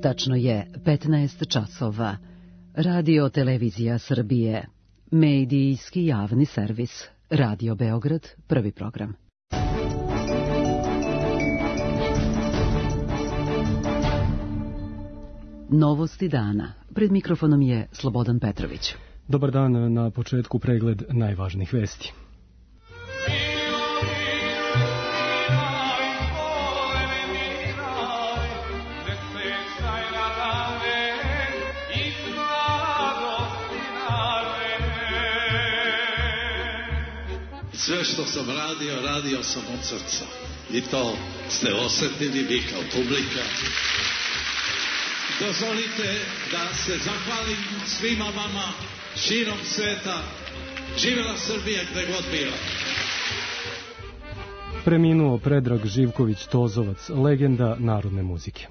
Tačno je 15 časova. Radio Televizija Srbije. Medijski javni servis. Radio Beograd, prvi program. Novosti dana. Pred mikrofonom je Slobodan Petrović. Dobar dan, na početku pregled najvažnijih vesti. Sve što sam radio sam od srca. I to ste osjetili vi kao publika. Dozvolite da se zahvalim svima vama širom sveta. Živela Srbija gde god bila. Preminuo Predrag Živković-Tozovac, legenda narodne muzike.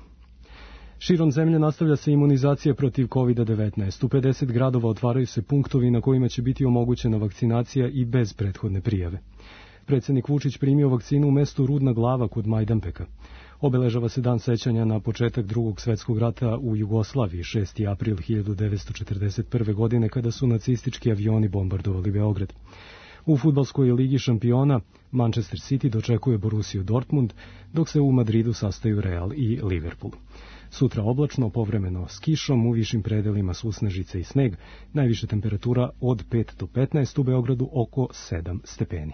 Širom zemlje nastavlja se imunizacija protiv COVID-19. U 50 gradova otvaraju se punktovi na kojima će biti omogućena vakcinacija i bez prethodne prijave. Predsjednik Vučić primio vakcinu u mestu Rudna Glava kod Majdanpeka. Obeležava se dan sećanja na početak Drugog svjetskog rata u Jugoslaviji, 6. april 1941. godine, kada su nacistički avioni bombardovali Beograd. U fudbalskoj ligi šampiona Manchester City dočekuje Borussiju Dortmund, dok se u Madridu sastaju Real i Liverpool. Sutra oblačno, povremeno s kišom, u višim predelima susnežice i sneg, najviše temperatura od 5 do 15, u Beogradu oko 7 stepeni.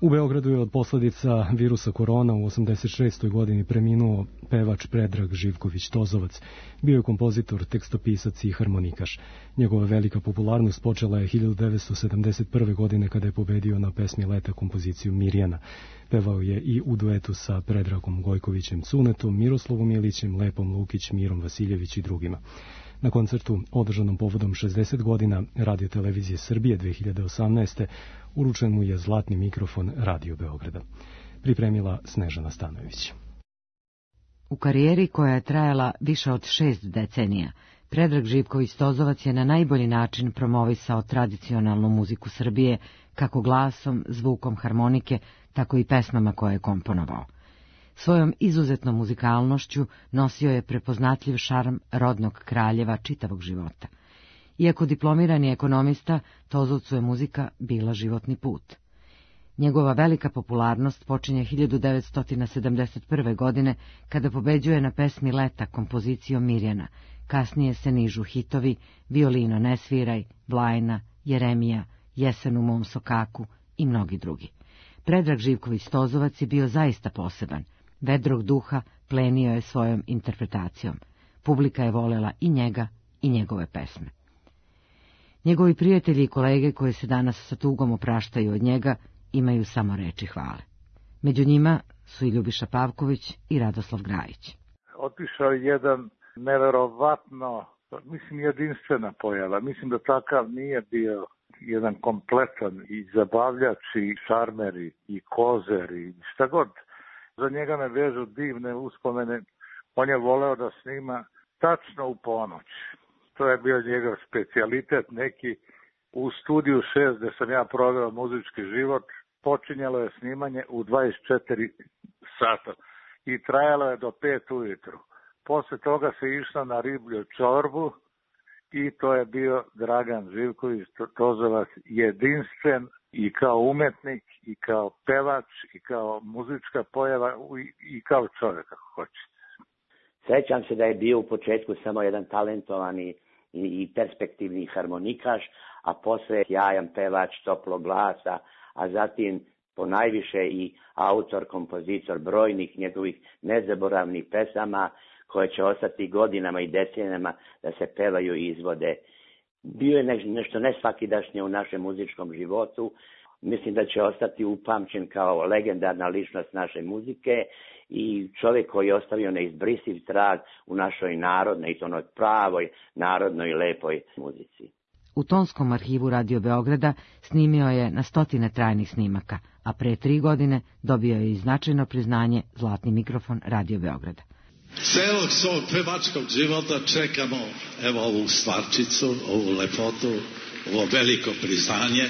U Beogradu je od posljedica virusa korona u 86. godini preminuo pevač Predrag Živković-Tozovac. Bio je kompozitor, tekstopisac i harmonikaš. Njegova velika popularnost počela je 1971. godine kada je pobedio na pesmi Leta kompoziciju Mirjana. Pevao je i u duetu sa Predragom Gojkovićem Cunetom, Miroslavom Ilićem, Lepom Lukić, Mirom Vasiljević i drugima. Na koncertu održanom povodom 60 godina Radio Televizije Srbije 2018. uručen mu je zlatni mikrofon Radio Beograda. Pripremila Snežana Stanojević. U karijeri koja je trajala više od 6 decenija, Predrag Živković-Tozovac je na najbolji način promovisao tradicionalnu muziku Srbije, kako glasom, zvukom harmonike, tako i pesmama koje je komponovao. Svojom izuzetnom muzikalnošću nosio je prepoznatljiv šarm rodnog kraljeva čitavog života. Iako diplomirani ekonomista, Tozovcu je muzika bila životni put. Njegova velika popularnost počinje 1971. godine, kada pobeđuje na pesmi Leta kompozicijom Mirjana. Kasnije se nižu hitovi Violino ne sviraj, Blajna, Jeremija, Jesen u mom sokaku i mnogi drugi. Predrag Živković-Tozovac je bio zaista poseban. Vedrog duha plenio je svojom interpretacijom. Publika je volela i njega i njegove pesme. Njegovi prijatelji i kolege koji se danas sa tugom opraštaju od njega imaju samo reči hvale. Među njima su i Ljubiša Pavković i Radoslav Grajić. Otišao je jedan neverovatno, jedinstvena pojava. Mislim da takav nije bio jedan kompletan i zabavljač i šarmer i kozer i šta god. Za njega me vežu divne uspomene. On je voleo da snima tačno u ponoć. To je bio njegov specijalitet neki. U studiju 6 gde sam ja proveo muzički život, počinjalo je snimanje u 24 sata i trajalo je do 5 ujutru. Posle toga se išlo na riblju čorbu i to je bio Dragan Živković-Tozovac jedinstven i kao umetnik, i kao pevač, i kao muzička pojava, i kao čovjek, ako hoćete. Sećam se da je bio u početku samo jedan talentovani i perspektivni harmonikaš, a posle sjajan pevač toplog glasa, a zatim ponajviše i autor, kompozitor brojnih njegovih nezaboravnih pesama, koje će ostati godinama i decenijama da se pevaju i izvode. Bio je nešto nesvakidašnje u našem muzičkom životu. Mislim da će ostati upamćen kao legendarna ličnost naše muzike i čovjek koji je ostavio neizbrisiv trag u našoj narodnoj, i to onoj pravoj, narodnoj i lepoj muzici. U tonskom arhivu Radio Beograda snimio je na stotine trajnih snimaka, a pre 3 godine dobio je i značajno priznanje zlatni mikrofon Radio Beograda. Celog svog pevačkog života čekamo evo ovu stvarčicu, ovu lepotu, ovo veliko priznanje.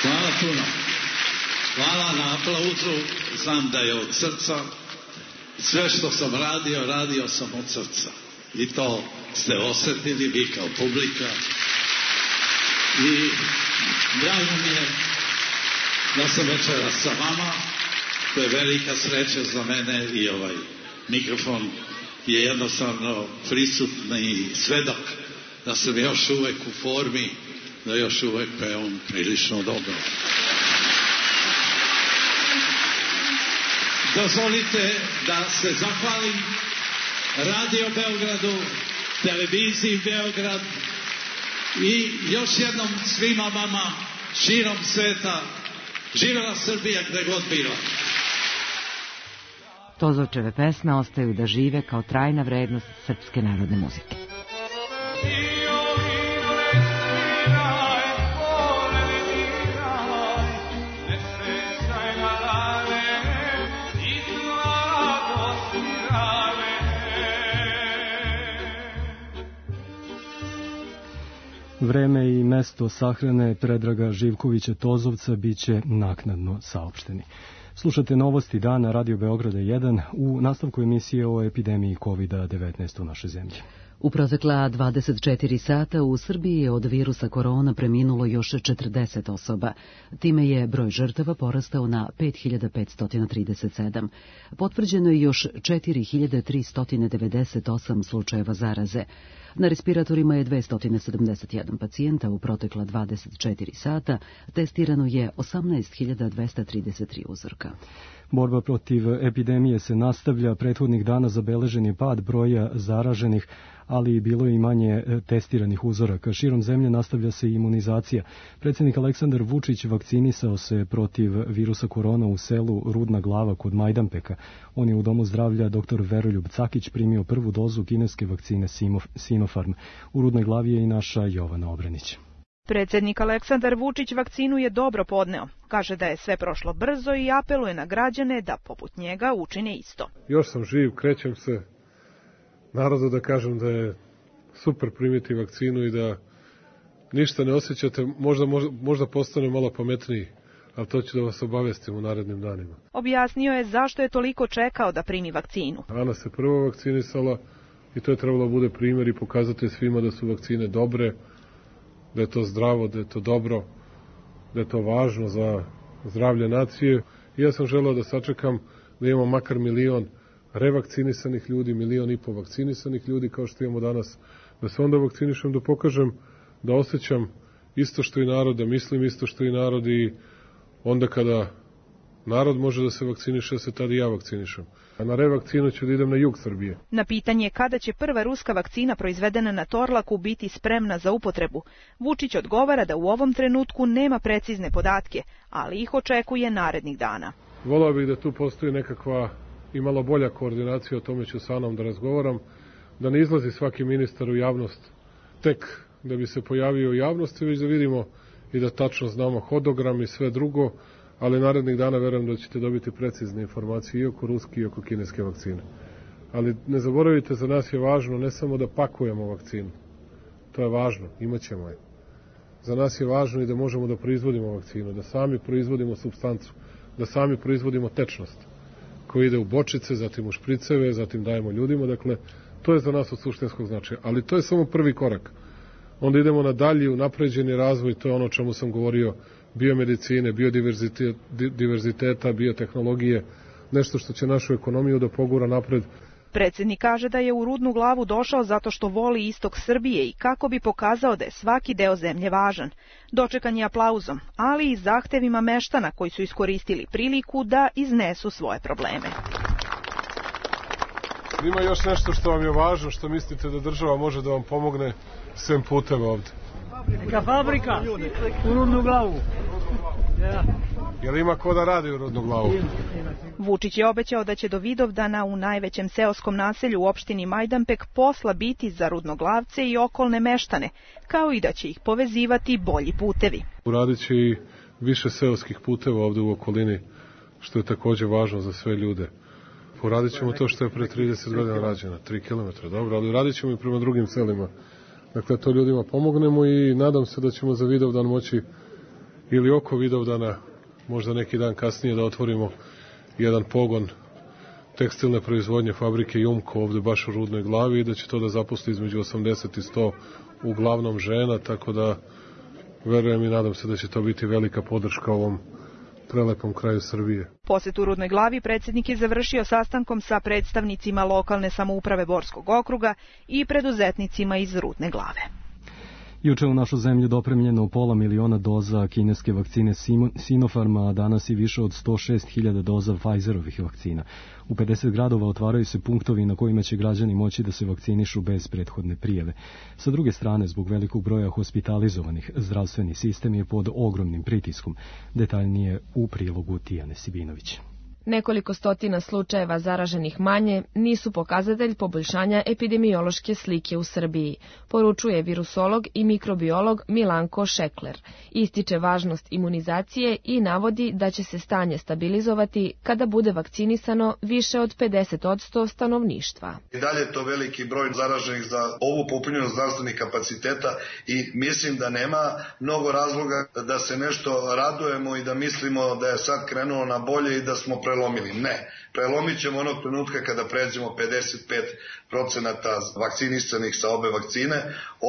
Hvala puno. Hvala na aplauzu, znam da je od srca. Sve što sam radio sam od srca. I to ste osjetili vi kao publika. I drago mi je da sam večeras sa vama. To je velika sreća za mene i ovaj mikrofon je jednostavno prisutni svedok da sam još uvek u formi, da još uvek pevam prilično dobro. Dozvolite da se zahvalim Radio Beogradu, televiziji Beograd i još jednom svima vama širom sveta. Živela Srbija gde god bila. Tozovčeve pesme ostaju da žive kao trajna vrednost srpske narodne muzike. Vreme i mesto sahrane Predraga Živkovića Tozovca biće naknadno saopšteni. Slušate novosti dana Radio Beograda 1 u nastavku emisije o epidemiji COVID-19 u našoj zemlji. U protekla 24 sata u Srbiji je od virusa korona preminulo još 40 osoba. Time je broj žrtava porastao na 5537. Potvrđeno je još 4398 slučajeva zaraze. Na respiratorima je 271 pacijenta u protekla 24 sata, testirano je 18.233 uzorka. Borba protiv epidemije se nastavlja, prethodnih dana zabeležen je pad broja zaraženih, ali bilo je i manje testiranih uzoraka. Širom zemlje nastavlja se imunizacija. Predsjednik Aleksandar Vučić vakcinisao se protiv virusa korona u selu Rudna Glava kod Majdanpeka. On je u domu zdravlja dr. Veroljub Cakić primio prvu dozu kineske vakcine Sinopharm. U Rudnoj Glavi je i naša Jovana Obrenić. Predsjednik Aleksandar Vučić vakcinu je dobro podneo. Kaže da je sve prošlo brzo i apeluje na građane da poput njega učine isto. Još sam živ, krećem se. Narodu da kažem da je super primiti vakcinu i da ništa ne osjećate, možda postane malo pametniji, ali to ću da vas obavestim u narednim danima. Objasnio je zašto je toliko čekao da primi vakcinu. Ana se prvo vakcinisala i to je trebalo bude primjer i pokazati svima da su vakcine dobre, da je to zdravo, da je to dobro, da je to važno za zdravlje nacije. I ja sam želeo da sačekam da imamo makar 1 milion revakcinisanih ljudi, 1,5 miliona vakcinisanih ljudi kao što imamo danas, da se onda vakcinišem, da pokažem da osjećam isto što i narod, da mislim isto što i narod i onda kada narod može da se vakciniše, se tada i ja vakcinišem. A na revakcinu ću da idem na jug Srbije. Na pitanje kada će prva ruska vakcina proizvedena na Torlaku biti spremna za upotrebu, Vučić odgovara da u ovom trenutku nema precizne podatke, ali ih očekuje narednih dana. Volao bih da tu postoji nekakva i malo bolja koordinacija, o tome ću sa Anom da razgovaram, da ne izlazi svaki ministar u javnost tek da bi se pojavio u javnosti, već da vidimo i da tačno znamo hodogram i sve drugo, ali narednih dana verujem da ćete dobiti precizne informacije i oko ruske i oko kineske vakcine. Ali ne zaboravite, za nas je važno ne samo da pakujemo vakcinu, to je važno, imat ćemo je. Za nas je važno i da možemo da proizvodimo vakcinu, da sami proizvodimo supstancu, da sami proizvodimo tečnost koji ide u bočice, zatim u špriceve, zatim dajemo ljudima, dakle, to je za nas od suštinskog značaja, ali to je samo prvi korak. Onda idemo na dalji, u napređeni razvoj, to je ono o čemu sam govorio, biomedicine, biodiverziteta, biotehnologije, nešto što će našu ekonomiju da pogura napred. Predsjednik kaže da je u Rudnu Glavu došao zato što voli istok Srbije i kako bi pokazao da je svaki deo zemlje važan. Dočekan je aplauzom, ali i zahtevima meštana koji su iskoristili priliku da iznesu svoje probleme. Ima još nešto što vam je važno, što mislite da država može da vam pomogne, sem puteva ovde. Neka fabrika u Rudnu Glavu. Jel ima ko da radi u Rudnu Glavu? Vučić je obećao da će do Vidovdana u najvećem seoskom naselju u opštini Majdanpek posla biti za Rudnoglavce i okolne meštane, kao i da će ih povezivati bolji putevi. Uradit će i više seoskih puteva ovde u okolini, što je takođe važno za sve ljude. Uradit ćemo to što je pre 30 godina rađeno, 3 km, dobro, ali uradit ćemo i prema drugim selima. Dakle, to ljudima pomognemo i nadam se da ćemo za Vidovdan moći ili oko Vidovdana možda neki dan kasnije da otvorimo jedan pogon tekstilne proizvodnje fabrike Jumko ovde baš u Rudnoj Glavi i da će to da zaposli između 80 i 100 uglavnom žena, tako da verujem i nadam se da će to biti velika podrška ovom prelepom kraju Srbije. Posjet u Rudnoj Glavi predsjednik je završio sastankom sa predstavnicima lokalne samouprave Borskog okruga i preduzetnicima iz Rudne Glave. Juče u našu zemlju dopremljeno 500 000 doza kineske vakcine Sinopharma, a danas i više od 106.000 doza Pfizerovih vakcina. U 50 gradova otvaraju se punktovi na kojima će građani moći da se vakcinišu bez prethodne prijave. Sa druge strane, zbog velikog broja hospitalizovanih, zdravstveni sistem je pod ogromnim pritiskom. Detaljnije u prilogu Tijane Sibinović. Nekoliko stotina slučajeva zaraženih manje nisu pokazatelj poboljšanja epidemiološke slike u Srbiji, poručuje virusolog i mikrobiolog Milanko Šekler. Ističe važnost imunizacije i navodi da će se stanje stabilizovati kada bude vakcinisano više od 50% stanovništva. I dalje je to veliki broj zaraženih za ovu popunjenost zdravstvenih kapaciteta i mislim da nema mnogo razloga da se nešto radujemo i da mislimo da je sad krenulo na bolje i da smo prelomili. Ne, prelomit ćemo onog trenutka kada pređemo 55% vakcinisanih sa obe vakcine,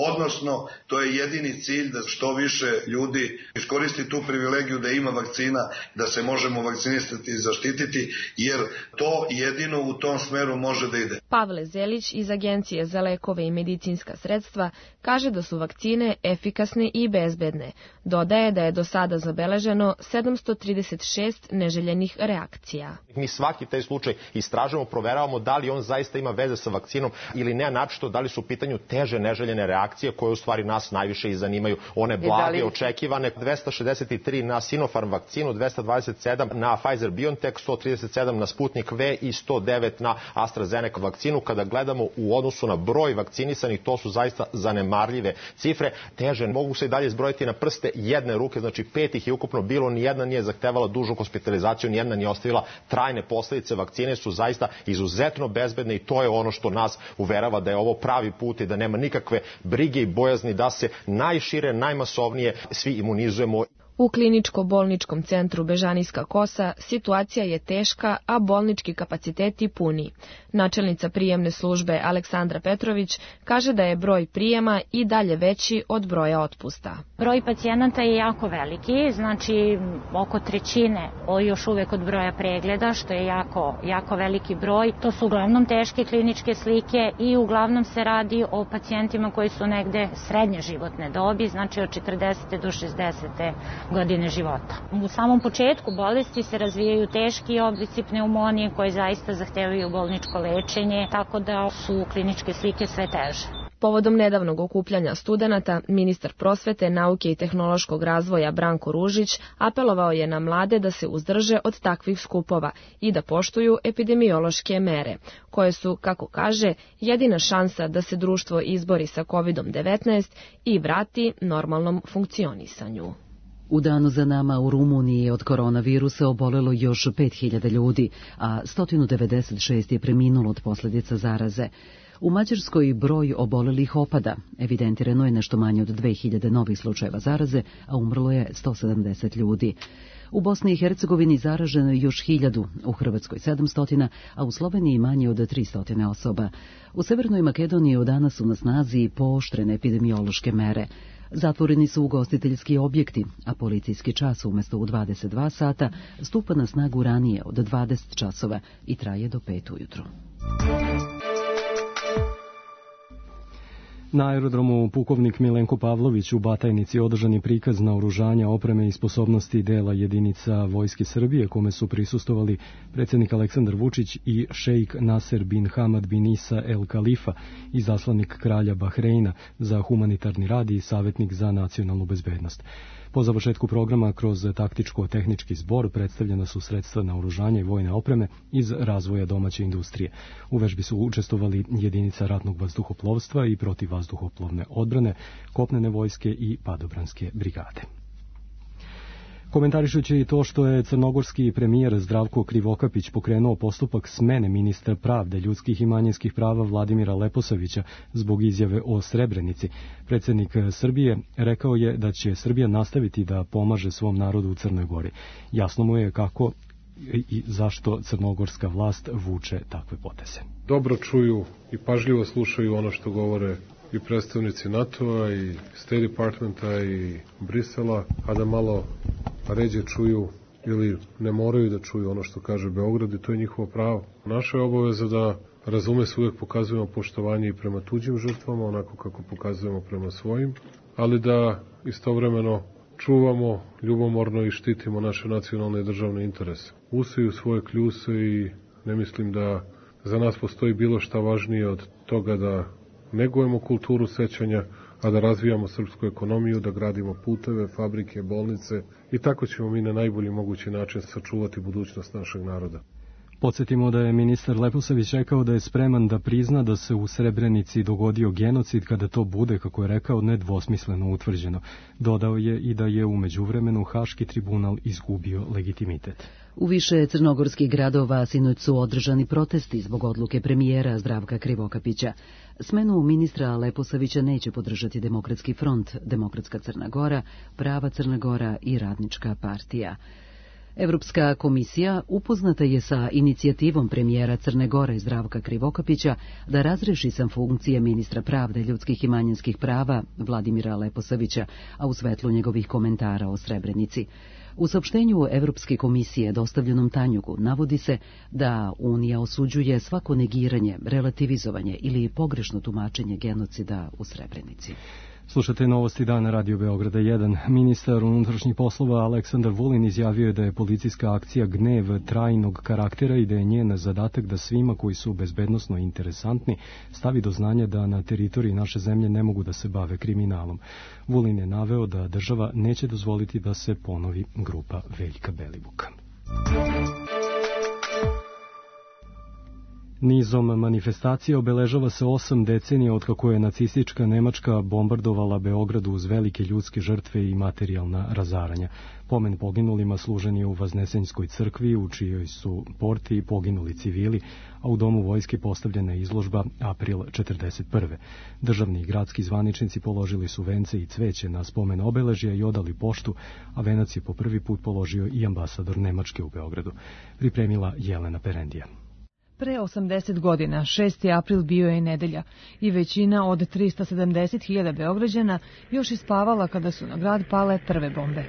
odnosno to je jedini cilj da što više ljudi iskoristi tu privilegiju da ima vakcina, da se možemo vakcinisati i zaštititi, jer to jedino u tom smeru može da ide. Pavle Zelić iz Agencije za lekove i medicinska sredstva kaže da su vakcine efikasne i bezbedne. Dodaje da je do sada zabeleženo 736 neželjenih reakcija. Mi svaki taj slučaj istražujemo, proveravamo da li on zaista ima veze sa vakcinom ili ne, naročito da li su u pitanju teže neželjene reakcije koje u stvari nas najviše i zanimaju. One blage, očekivane, 263 na Sinopharm vakcinu, 227 na Pfizer-BioNTech, 137 na Sputnik V i 109 na AstraZeneca vakcinu. Kada gledamo u odnosu na broj vakcinisanih, to su zaista zanemarljive cifre. Teže mogu se i dalje zbrojiti na prste jedne ruke, znači 5 ih je ukupno bilo, nijedna nije zahtevala dužu hospitalizaciju, nijedna nije ostavila trajne posledice. Vakcine su zaista izuzetno bezbedne i to je ono što nas uverava da je ovo pravi put i da nema nikakve brige i bojazni da se najšire, najmasovnije svi imunizujemo. U kliničko-bolničkom centru Bežanijska Kosa situacija je teška, a bolnički kapaciteti puni. Načelnica prijemne službe Aleksandra Petrović kaže da je broj prijema i dalje veći od broja otpusta. Broj pacijenata je jako veliki, znači oko trećine još uvek od broja pregleda, što je jako veliki broj. To su uglavnom teške kliničke slike i uglavnom se radi o pacijentima koji su negde srednje životne dobi, znači od 40. do 60. godine života. U samom početku bolesti se razvijaju teški oblici pneumonije koji zaista zahtevaju bolničko lečenje, tako da su kliničke slike sve teže. Povodom nedavnog okupljanja studenata, ministar prosvete, nauke i tehnološkog razvoja Branko Ružić apelovao je na mlade da se uzdrže od takvih skupova i da poštuju epidemiološke mere, koje su, kako kaže, jedina šansa da se društvo izbori sa COVID-19 i vrati normalnom funkcionisanju. U danu za nama u Rumuniji od koronavirusa obolelo još 5.000 ljudi, a 196 je preminulo od posljedica zaraze. U Mađarskoj broj obolelih opada. Evidentirano je nešto manje od 2.000 novih slučajeva zaraze, a umrlo je 170 ljudi. U Bosni i Hercegovini zaraženo je još 1.000, u Hrvatskoj 700, a u Sloveniji manje od 300 osoba. U Severnoj Makedoniji od danas su na snazi pooštrene epidemiološke mere. Zatvoreni su ugostiteljski objekti, a policijski čas umjesto u 22 sata stupa na snagu ranije od 20 časova i traje do 5 ujutro. Na aerodromu Pukovnik Milenko Pavlović u Batajnici održan je prikaz naoružanja, opreme i sposobnosti dela jedinica Vojske Srbije, kome su prisustovali predsjednik Aleksandar Vučić i šejk Naser bin Hamad bin Isa El Khalifa, izaslanik kralja Bahreina za humanitarni rad i savjetnik za nacionalnu bezbednost. Po završetku programa kroz taktičko-tehnički zbor predstavljena su sredstva naoružanja i vojne opreme iz razvoja domaće industrije. U vežbi su učestvovali jedinica ratnog vazduhoplovstva i protivvazduhoplovne odbrane, kopnene vojske i padobranske brigade. Komentarišući i to što je crnogorski premijer Zdravko Krivokapić pokrenuo postupak smene ministra pravde, ljudskih i manjinskih prava Vladimira Leposavića zbog izjave o Srebrenici, predsjednik Srbije rekao je da će Srbija nastaviti da pomaže svom narodu u Crnoj Gori. Jasno mu je kako i zašto crnogorska vlast vuče takve poteze. Dobro čuju i pažljivo slušaju ono što govore i predstavnici NATO-a i State Departmenta i Brisela, a da malo ređe čuju ili ne moraju da čuju ono što kaže Beograd i to je njihovo pravo. Naša je obaveza da razume se uvek pokazujemo poštovanje i prema tuđim žrtvama, onako kako pokazujemo prema svojim, ali da istovremeno čuvamo ljubomorno i štitimo naše nacionalne i državne interese. Usiju svoje kljuse i ne mislim da za nas postoji bilo šta važnije od toga da negujemo kulturu sećanja, a da razvijamo srpsku ekonomiju, da gradimo puteve, fabrike, bolnice i tako ćemo mi na najbolji mogući način sačuvati budućnost našeg naroda. Podsjetimo da je ministar Leposavić rekao da je spreman da prizna da se u Srebrenici dogodio genocid kada to bude, kako je rekao, nedvosmisleno utvrđeno. Dodao je i da je u međuvremenu Haški tribunal izgubio legitimitet. U više crnogorskih gradova sinoć su održani protesti zbog odluke premijera Zdravka Krivokapića. Smenu ministra Leposavića neće podržati Demokratski front, Demokratska Crna Gora, Prava Crna Gora i Radnička partija. Evropska komisija upoznata je sa inicijativom premijera Crne Gore Zdravka Krivokapića da razreši sam funkcije ministra pravde, ljudskih i manjinskih prava Vladimira Leposavića, a u svetlu njegovih komentara o Srebrenici. U saopštenju Evropske komisije dostavljenom Tanjugu navodi se da Unija osuđuje svako negiranje, relativizovanje ili pogrešno tumačenje genocida u Srebrenici. Slušate novosti dana Radio Beograda 1. Ministar unutrašnjih poslova Aleksandar Vulin izjavio je da je policijska akcija Gnev trajnog karaktera i da je njen zadatak da svima koji su bezbednosno interesantni stavi do znanja da na teritoriji naše zemlje ne mogu da se bave kriminalom. Vulin je naveo da država neće dozvoliti da se ponovi grupa Veljka Belivuka. Nizom manifestacija obeležava se 8 decenija od kako je nacistička Nemačka bombardovala Beograd uz velike ljudske žrtve i materijalna razaranja. Pomen poginulima služen je u Vaznesenjskoj crkvi, u čijoj su porti poginuli civili, a u domu vojske postavljena je izložba April 1941. Državni i gradski zvaničnici položili su vence i cveće na spomen obeležja i odali poštu, a venac je po prvi put položio i ambasador Nemačke u Beogradu. Pripremila Jelena Perendija. Pre 80 godina, 6. april bio je nedelja i većina od 370.000 Beograđana još ispavala kada su na grad pale prve bombe.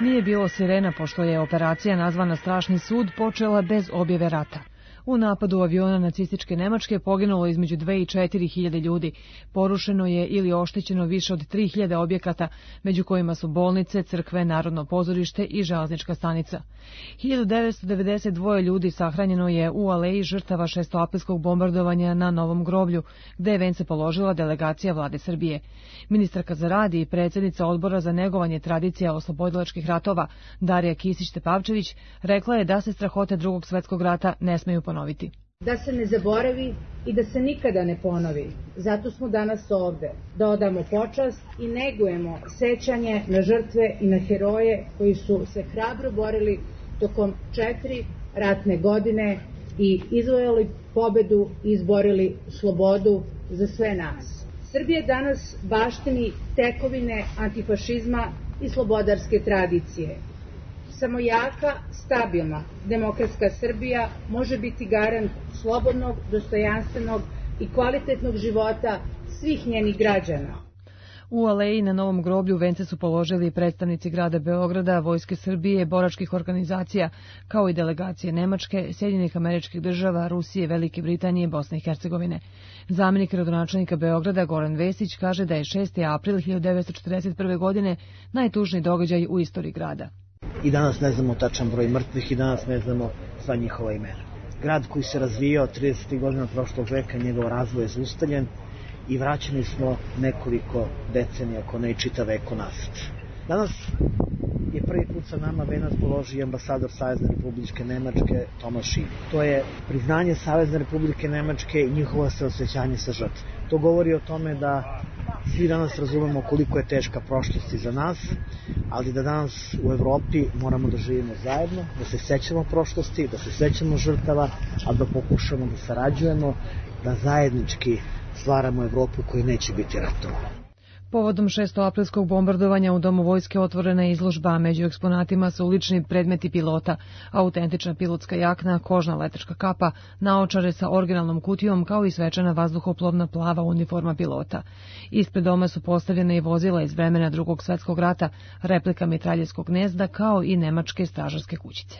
Nije bilo sirena pošto je operacija nazvana Strašni sud počela bez objave rata. U napadu aviona nacističke Nemačke poginulo između 2 i 4 hiljade ljudi. Porušeno je ili oštećeno više od 3.000 objekata, među kojima su bolnice, crkve, Narodno pozorište i železnička stanica. 1992 ljudi sahranjeno je u aleji žrtava šestoaprilskog bombardovanja na Novom groblju, gde je vence položila delegacija vlade Srbije. Ministarka za rad i predsjednica odbora za negovanje tradicija oslobodilačkih ratova, Darija Kisić-Tepavčević, rekla je da se strahote Drugog svetskog rata ne smeju ponoviti. Da se ne zaboravi i da se nikada ne ponovi. Zato smo danas ovde, da odamo počast i negujemo sećanje na žrtve i na heroje koji su se hrabro borili tokom 4 ratne godine i izvojali pobedu i izborili slobodu za sve nas. Srbija danas baštini tekovine antifašizma i slobodarske tradicije. Samo jaka, stabilna, demokratska Srbija može biti garant slobodnog, dostojanstvenog i kvalitetnog života svih njenih građana. U aleji na Novom groblju vence su položili predstavnici grada Beograda, Vojske Srbije, boračkih organizacija, kao i delegacije Nemačke, Sjedinjenih Američkih Država, Rusije, Velike Britanije i Bosne i Hercegovine. Zamenik gradonačelnika Beograda Goran Vesić kaže da je 6. april 1941. godine najtužniji događaj u istoriji grada. I danas ne znamo tačan broj mrtvih i danas ne znamo sva njihova imena. Grad koji se razvijao 30. godina prošlog veka, njegov razvoj je zaustavljen i vraćeni smo nekoliko decenija, ako ne i čitav vek unazad. Danas je prvi put sa nama venac položio ambasador Savezne Republike Nemačke Tomaš Šilj. To je priznanje Savezne Republike Nemačke i njihovo saosećanje sa žrtvom. To govori o tome da Svi danas razumemo koliko je teška prošlost iza nas, ali da danas u Evropi moramo da živimo zajedno, da se sećamo prošlosti, da se sećamo žrtava, a da pokušamo da sarađujemo, da zajednički stvaramo Evropu koju neće biti ratova. Povodom 6. aprilskog bombardovanja u Domu vojske otvorena je izložba, među eksponatima su lični predmeti pilota, autentična pilotska jakna, kožna letačka kapa, naočare sa originalnom kutijom kao i svečana vazduhoplovna plava uniforma pilota. Ispred doma su postavljene i vozila iz vremena Drugog svetskog rata, replika mitraljeskog gnezda kao i nemačke stražarske kućice.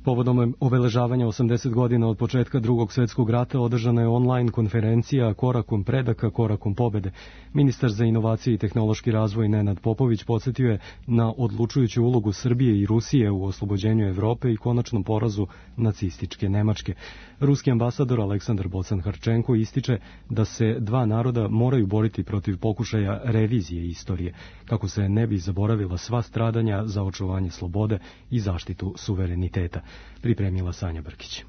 Povodom obeležavanja 80 godina od početka Drugog svetskog rata održana je online konferencija Korakom predaka, korakom pobede. Ministar za inovacije i tehnološki razvoj Nenad Popović podsjetio je na odlučujuću ulogu Srbije i Rusije u oslobođenju Evrope i konačnom porazu nacističke Nemačke. Ruski ambasador Aleksandar Bocan-Harčenko ističe da se dva naroda moraju boriti protiv pokušaja revizije istorije, kako se ne bi zaboravila sva stradanja za očuvanje slobode i zaštitu suvereniteta. Pripremila Sanja Brkić.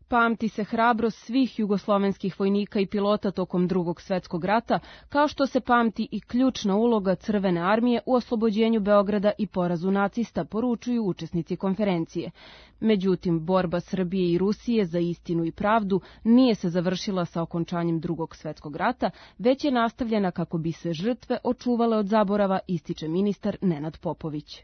Pamti se hrabrost svih jugoslovenskih vojnika i pilota tokom Drugog svetskog rata, kao što se pamti i ključna uloga Crvene armije u oslobođenju Beograda i porazu nacista, poručuju učesnici konferencije. Međutim, borba Srbije i Rusije za istinu i pravdu nije se završila sa okončanjem Drugog svetskog rata, već je nastavljena kako bi se žrtve očuvale od zaborava, ističe ministar Nenad Popović.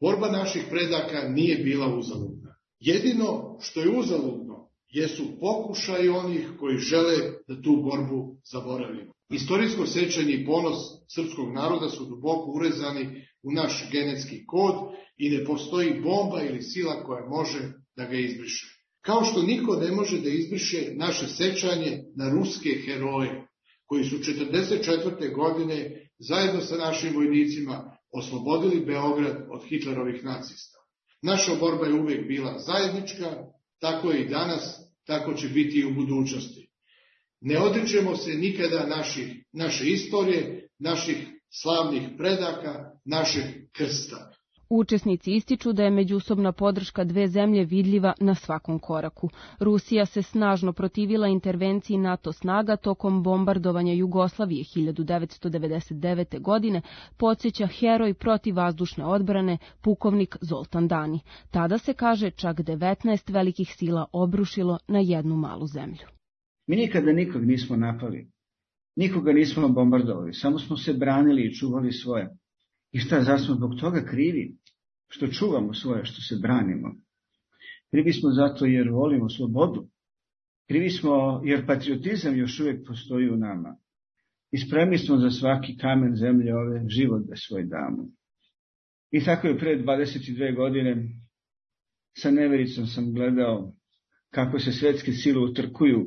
Borba naših predaka nije bila uzaludna. Jedino što je uzaludno jesu pokušaji onih koji žele da tu borbu zaboravimo. Istorijsko sećanje i ponos srpskog naroda su duboko urezani u naš genetski kod i ne postoji bomba ili sila koja može da ga izbriše. Kao što niko ne može da izbriše naše sećanje na ruske heroje, koji su 1944. godine zajedno sa našim vojnicima oslobodili Beograd od Hitlerovih nacista. Naša borba je uvijek bila zajednička, tako je i danas, tako će biti i u budućnosti. Ne odričemo se nikada naše istorije, naših slavnih predaka, našeg krsta. Učesnici ističu da je međusobna podrška dve zemlje vidljiva na svakom koraku. Rusija se snažno protivila intervenciji NATO snaga tokom bombardovanja Jugoslavije 1999. godine, podsjeća heroj protivvazdušne odbrane pukovnik Zoltan Dani. Tada se kaže čak 19 velikih sila obrušilo na jednu malu zemlju. Mi nikada nikog nismo napali, nikoga nismo bombardovali, samo smo se branili i čuvali svoje. I šta, zar smo zbog toga krivi? Što čuvamo svoje, što se branimo? Krivi smo zato jer volimo slobodu. Krivi smo jer patriotizam još uvijek postoji u nama. I spremni smo za svaki kamen zemlje ove život da svoj damo. I tako je pre 22 godine sa nevericom sam gledao kako se svetske sile utrkuju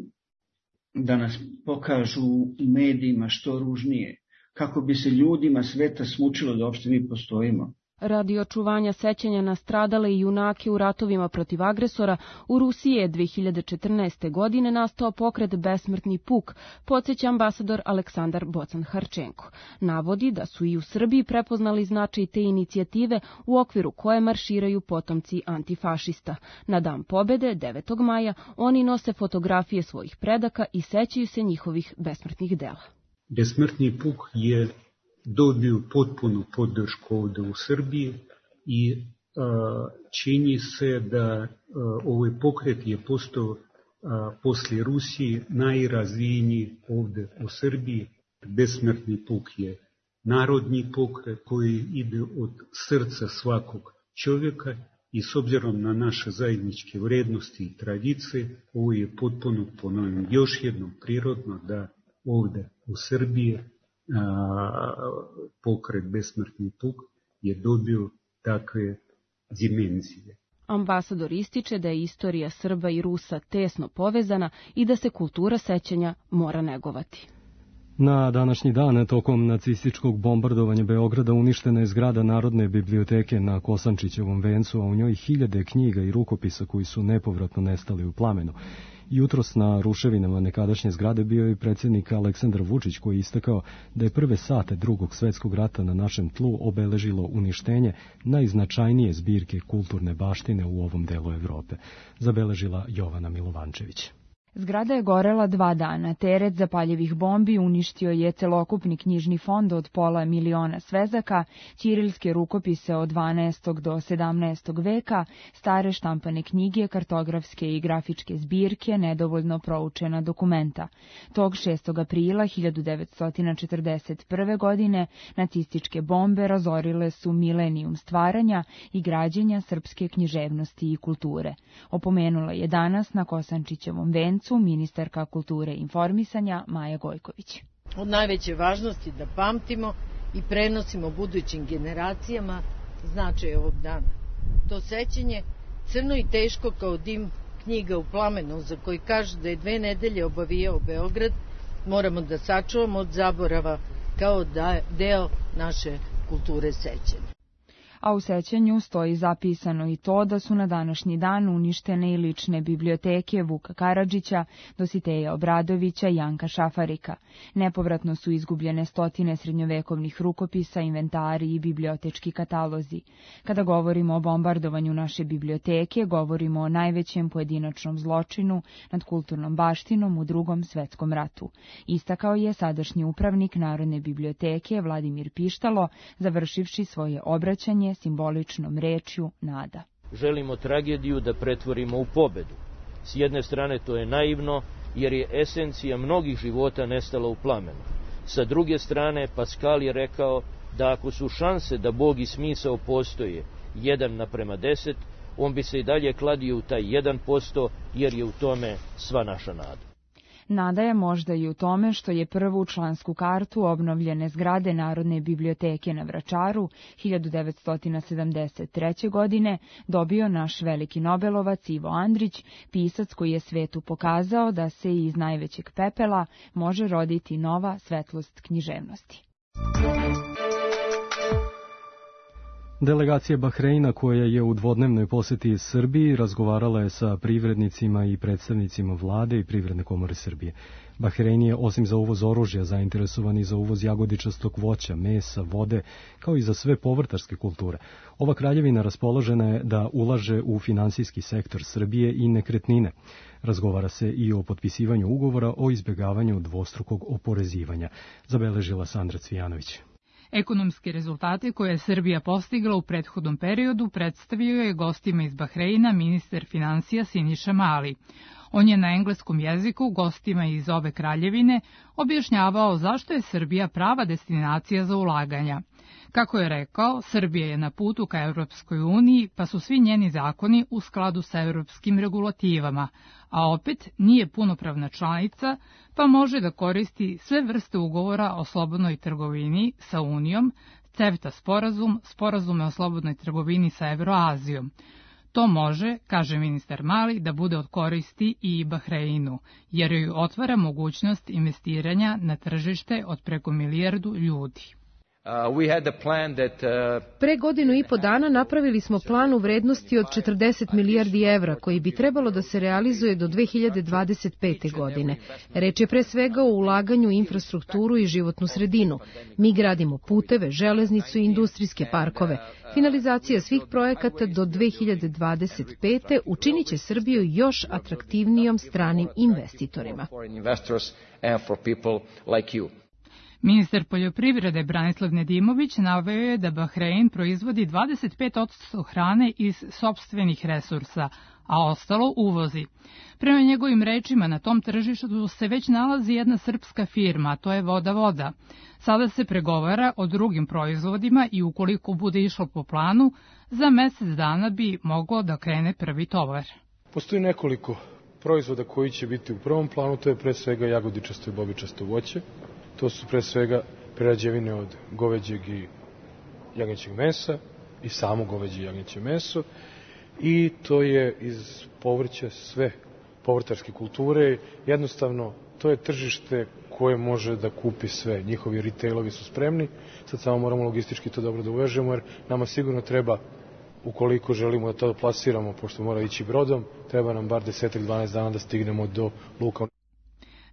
da nas pokažu u medijima što ružnije, kako bi se ljudima sveta smučilo da uopšte mi postojimo. Radi očuvanja sećanja na stradale i junake u ratovima protiv agresora, u Rusiji je 2014. godine nastao pokret Besmrtni puk, podsjeća ambasador Aleksandar Bocan-Harčenko. Navodi da su i u Srbiji prepoznali značaj te inicijative u okviru koje marširaju potomci antifašista. Na Dan pobede, 9. maja, oni nose fotografije svojih predaka i sećaju se njihovih besmrtnih dela. Besmrtni puk je dobio potpunu podršku ovde u Srbiji i čini se da ovaj pokret je postao posle Rusije najrazvijeniji ovde u Srbiji. Besmrtni puk je narodni pokret koji ide od srca svakog čovjeka i s obzirom na naše zajedničke vrednosti i tradicije, ovo je potpuno, ponovim, još jednom prirodno da ovde u Srbiji pokret Besmrtni puk je dobio takve dimenzije. Ambasador ističe da je istorija Srba i Rusa tesno povezana i da se kultura sećanja mora negovati. Na današnji dan, tokom nacističkog bombardovanja Beograda, uništena je zgrada Narodne biblioteke na Kosančićevom vencu, a u njoj hiljade knjiga i rukopisa koji su nepovratno nestali u plamenu. Jutros na ruševinama nekadašnje zgrade bio je predsjednik Aleksandar Vučić, koji je istakao da je prve sate Drugog svetskog rata na našem tlu obeležilo uništenje najznačajnije zbirke kulturne baštine u ovom delu Evrope, zabeležila Jovana Milovančević. Zgrada je gorela 2 dana. Teret zapaljivih bombi uništio je celokupni knjižni fond od pola miliona svezaka, ćirilske rukopise od 12. do 17. veka, stare štampane knjige, kartografske i grafičke zbirke, nedovoljno proučena dokumenta. Tog 6. aprila 1941. godine nacističke bombe razorile su milenijum stvaranja i građenja srpske književnosti i kulture. Opomenula je danas na Kosančićevom vencu ministarka kulture i informisanja Maja Gojković. Od najveće važnosti da pamtimo i prenosimo budućim generacijama značaj ovog dana. To sećanje, crno i teško kao dim knjiga u plamenu, za koji kažu da je 2 nedelje obavijao Beograd, moramo da sačuvamo od zaborava kao deo naše kulture sećanja. A u sećanju stoji zapisano i to da su na današnji dan uništene i lične biblioteke Vuka Karadžića, Dositeja Obradovića i Janka Šafarika. Nepovratno su izgubljene stotine srednjovekovnih rukopisa, inventari i bibliotečki katalozi. Kada govorimo o bombardovanju naše biblioteke, govorimo o najvećem pojedinačnom zločinu nad kulturnom baštinom u Drugom svetskom ratu. Istakao je sadašnji upravnik Narodne biblioteke Vladimir Pištalo, završivši svoje obraćanje simboličnom rečju nada. Želimo tragediju da pretvorimo u pobedu. S jedne strane to je naivno, jer je esencija mnogih života nestala u plamenu. Sa druge strane, Paskal je rekao da ako su šanse da Bog i smisao postoje 1:10, on bi se i dalje kladio u taj 1%, jer je u tome sva naša nada. Nada je možda i u tome što je prvu člansku kartu obnovljene zgrade Narodne biblioteke na Vračaru 1973. godine dobio naš veliki nobelovac Ivo Andrić, pisac koji je svetu pokazao da se iz najvećeg pepela može roditi nova svetlost književnosti. Delegacija Bahreina, koja je u dvodnevnoj poseti Srbiji, razgovarala je sa privrednicima i predstavnicima vlade i Privredne komore Srbije. Bahrein je, osim za uvoz oružja, zainteresovan i za uvoz jagodičastog voća, mesa, vode, kao i za sve povrtarske kulture. Ova kraljevina raspoložena je da ulaže u finansijski sektor Srbije i nekretnine. Razgovara se i o potpisivanju ugovora o izbjegavanju dvostrukog oporezivanja, zabeležila Sandra Cvijanović. Ekonomske rezultate koje je Srbija postigla u prethodnom periodu predstavio je gostima iz Bahreina ministar finansija Siniša Mali. On je na engleskom jeziku gostima iz obe kraljevine objašnjavao zašto je Srbija prava destinacija za ulaganja. Kako je rekao, Srbija je na putu ka Evropskoj uniji, pa su svi njeni zakoni u skladu sa evropskim regulativama, a opet nije punopravna članica, pa može da koristi sve vrste ugovora o slobodnoj trgovini sa Unijom, CEFTA sporazum, sporazume o slobodnoj trgovini sa Evroazijom. To može, kaže ministar Mali, da bude od koristi i Bahreinu, jer joj otvara mogućnost investiranja na tržište od preko 1 milijardu ljudi. Pre 1,5 godine napravili smo plan u vrednosti od 40 milijardi evra koji bi trebalo da se realizuje do 2025. godine. Reč je pre svega o ulaganju u infrastrukturu i životnu sredinu. Mi gradimo puteve, železnicu i industrijske parkove. Finalizacija svih projekata do 2025. učinit će Srbiju još atraktivnijom stranim investitorima. Ministar poljoprivrede Branislav Nedimović naveo je da Bahrein proizvodi 25% hrane iz sopstvenih resursa, a ostalo uvozi. Prema njegovim rečima, na tom tržištu se već nalazi jedna srpska firma, a to je Voda. Sada se pregovara o drugim proizvodima i ukoliko bude išlo po planu, za mesec dana bi moglo da krene prvi tovar. Postoji nekoliko proizvoda koji će biti u prvom planu, to je pre svega jagodičasto i bobičasto voće. To su pre svega prerađevine od goveđeg i jagnjećeg mesa i samo goveđe i jagnjeće meso. I to je iz povrća sve povrtarske kulture. Jednostavno, to je tržište koje može da kupi sve. Njihovi retailovi su spremni. Sad samo moramo logistički to dobro da uvežemo, jer nama sigurno treba, ukoliko želimo da to plasiramo, pošto mora ići brodom, treba nam bar 10-12 dana da stignemo do luka.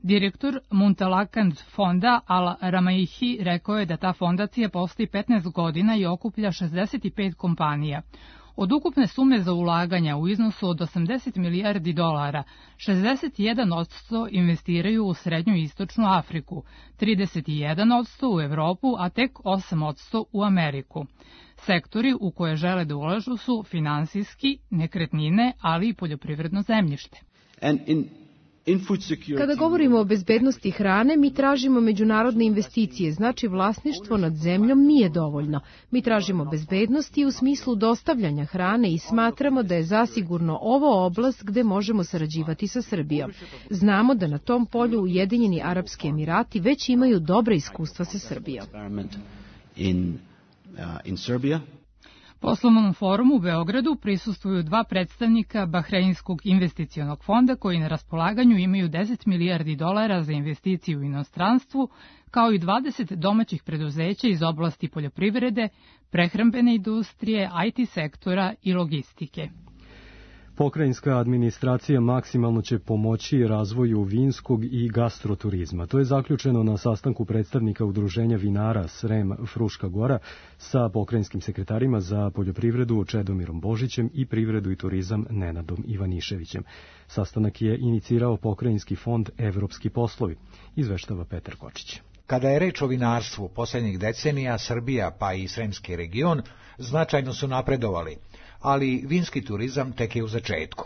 Direktor Muntalakand fonda Al Ramaihi rekao je da ta fondacija postoji 15 godina i okuplja 65 kompanija. Od ukupne sume za ulaganja u iznosu od 80 milijardi dolara, 61% investiraju u Srednju i Istočnu Afriku, 31% u Evropu, a tek 8% u Ameriku. Sektori u koje žele da ulažu su finansijski, nekretnine, ali i poljoprivredno zemljište. Kada govorimo o bezbednosti hrane, mi tražimo međunarodne investicije, znači vlasništvo nad zemljom nije dovoljno. Mi tražimo bezbednosti u smislu dostavljanja hrane i smatramo da je zasigurno ovo oblast gde možemo sarađivati sa Srbijom. Znamo da na tom polju Ujedinjeni Arapski Emirati već imaju dobra iskustva sa Srbijom. Poslovnom forumu u Beogradu prisustvuju 2 predstavnika Bahreinskog investicionog fonda koji na raspolaganju imaju 10 milijardi dolara za investiciju u inostranstvu, kao i 20 domaćih preduzeća iz oblasti poljoprivrede, prehrambene industrije, IT sektora i logistike. Pokrajinska administracija maksimalno će pomoći razvoju vinskog i gastroturizma. To je zaključeno na sastanku predstavnika Udruženja vinara Srem Fruška Gora sa pokrajinskim sekretarima za poljoprivredu Čedomirom Božićem i privredu i turizam Nenadom Ivaniševićem. Sastanak je inicirao pokrajinski fond Evropski poslovi, izveštava Petar Kočić. Kada je reč o vinarstvu, poslednjih decenija Srbija pa i Sremski region značajno su napredovali, ali vinski turizam tek je u začetku.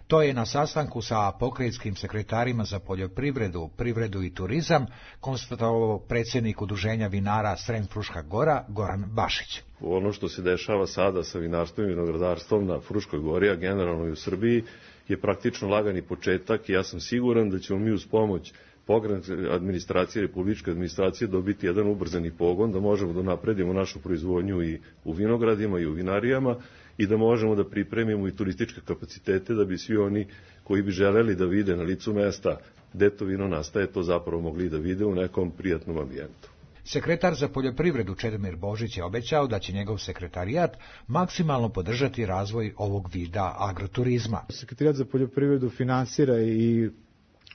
To je na sastanku sa pokrajinskim sekretarima za poljoprivredu, privredu i turizam konstatovao predsjednik Udruženja vinara Srem Fruška Gora Goran Bašić. Ono što se dešava sada sa vinarstvom i vinogradarstvom na Fruškoj Gori, a generalno i u Srbiji, je praktično lagani početak i ja sam siguran da ćemo mi uz pomoć pokrajinske administracije, republičke administracije dobiti jedan ubrzani pogon, da možemo da napredimo našu proizvodnju i u vinogradima i u vinarijama i da možemo da pripremimo i turističke kapacitete da bi svi oni koji bi želeli da vide na licu mesta gde to vino nastaje, to zapravo mogli da vide u nekom prijatnom ambijentu. Sekretar za poljoprivredu Čedomir Božić je obećao da će njegov sekretarijat maksimalno podržati razvoj ovog vida agroturizma. Sekretarijat za poljoprivredu finansira i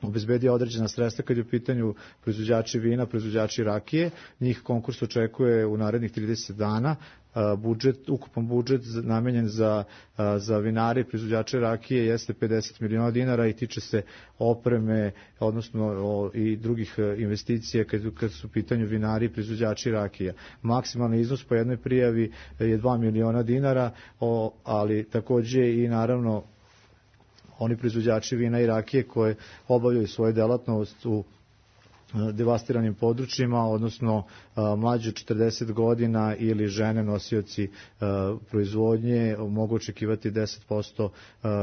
obezbedio određena sredstva kad je u pitanju proizvođači vina, proizvođači rakije. Njih konkurs očekuje u narednih 30 dana. Ukupan budžet namenjen za vinare i proizvođače rakije jeste 50 miliona dinara i tiče se opreme, odnosno i drugih investicija kad su u pitanju vinari i proizvođači rakija. Maksimalni iznos po jednoj prijavi je 2 miliona dinara, ali takođe i naravno oni proizvođači vina i rakije koje obavljaju svoju delatnost u devastiranim područjima, odnosno mlađe od 40 godina ili žene nosioci proizvodnje mogu očekivati 10%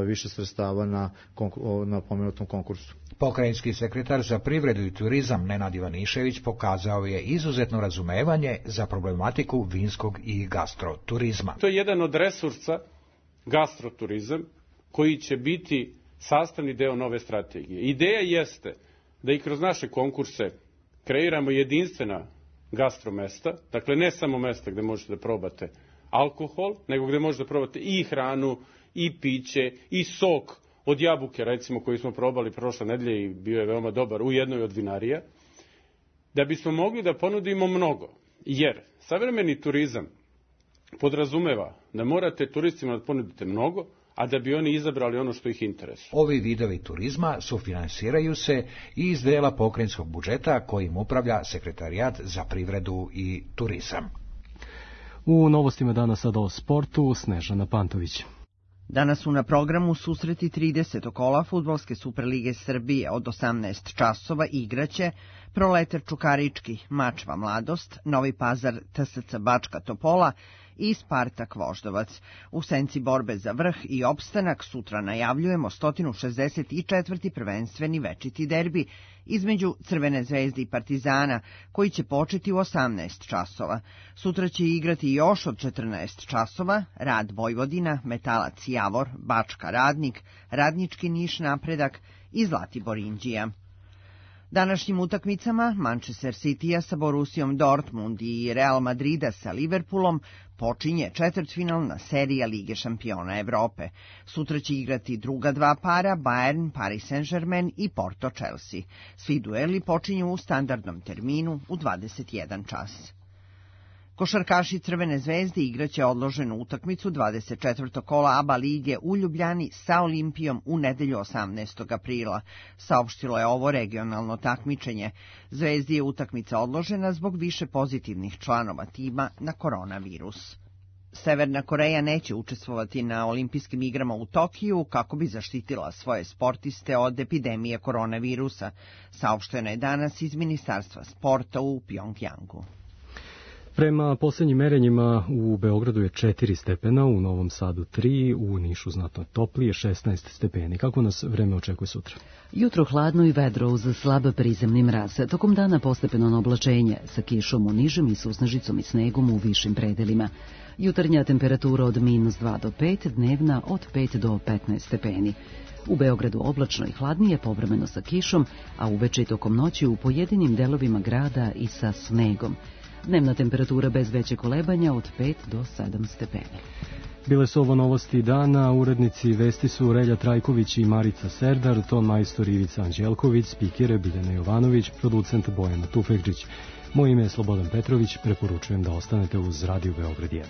više sredstava na pomenutom konkursu. Pokrajinski sekretar za privredu i turizam Nenad Ivanišević pokazao je izuzetno razumevanje za problematiku vinskog i gastroturizma. To je jedan od resursa gastroturizam koji će biti sastavni deo nove strategije. Ideja jeste da i kroz naše konkurse kreiramo jedinstvena gastromesta, dakle ne samo mesta gde možete da probate alkohol, nego gde možete da probate i hranu, i piće, i sok od jabuke, recimo, koji smo probali prošle nedelje i bio je veoma dobar u jednoj od vinarija, da bismo mogli da ponudimo mnogo. Jer savremeni turizam podrazumeva da morate turistima da ponudite mnogo, a da bi oni izabrali ono što ih interesuje. Ovi vidovi turizma sufinansiraju se i iz dela pokrajinskog budžeta kojim upravlja Sekretarijat za privredu i turizam. U novostima danas sada o sportu, Snežana Pantović. Danas su na programu susreti 30. kola Fudbalske Superlige Srbije. Od 18 časova igraće Proletar Čukarički, Mačva Mladost, Novi Pazar TSC Bačka Topola i Spartak Voždovac. U senci borbe za vrh i opstanak sutra najavljujemo 164. prvenstveni večiti derbi između Crvene zvezde i Partizana, koji će početi u 18 časova. Sutra će igrati još od 14 časova Rad Vojvodina, Metalac Javor, Bačka Radnik, Radnički Niš Napredak i Zlatibor Inđija. Današnjim utakmicama Manchester City-a sa Borussijom Dortmund i Real Madrida sa Liverpoolom počinje četvrtfinalna serija Lige šampiona Evrope. Sutra će igrati druga dva para Bayern, Paris Saint-Germain i Porto Chelsea. Svi dueli počinju u standardnom terminu u 21 čas. Košarkaši Crvene zvezde igraće odloženu utakmicu 24. kola ABA lige u Ljubljani sa Olimpijom u nedelju 18. aprila. Saopštilo je ovo regionalno takmičenje. Zvezdi je utakmica odložena zbog više pozitivnih članova tima na koronavirus. Severna Koreja neće učestvovati na olimpijskim igrama u Tokiju kako bi zaštitila svoje sportiste od epidemije koronavirusa, saopšteno je danas iz Ministarstva sporta u Pjongjangu. Prema poslednjim merenjima u Beogradu je 4 stepena, u Novom Sadu 3, u Nišu znatno toplije 16 stepeni. Kako nas vreme očekuje sutra? Jutro hladno i vedro uz slab prizemni mraz. Tokom dana postepeno oblačenje sa kišom u nižem i susnežicom i snegom u višim predelima. Jutarnja temperatura od -2 do 5, dnevna od 5 do 15 stepeni. U Beogradu oblačno i hladnije, povremeno sa kišom, a uveče i tokom noći u pojedinim delovima grada i sa snegom. Dnevna temperatura bez veće kolebanja od 5 do 7 stepeni. Bile su ovo novosti dana, urednici vesti su Relja Trajković i Marica Serdar, ton majstor Ivica Anđelković, spikere Biljana Jovanović, producent Bojana Tufekđić. Moje ime je Slobodan Petrović, preporučujem da ostanete uz Radio Beograd 1.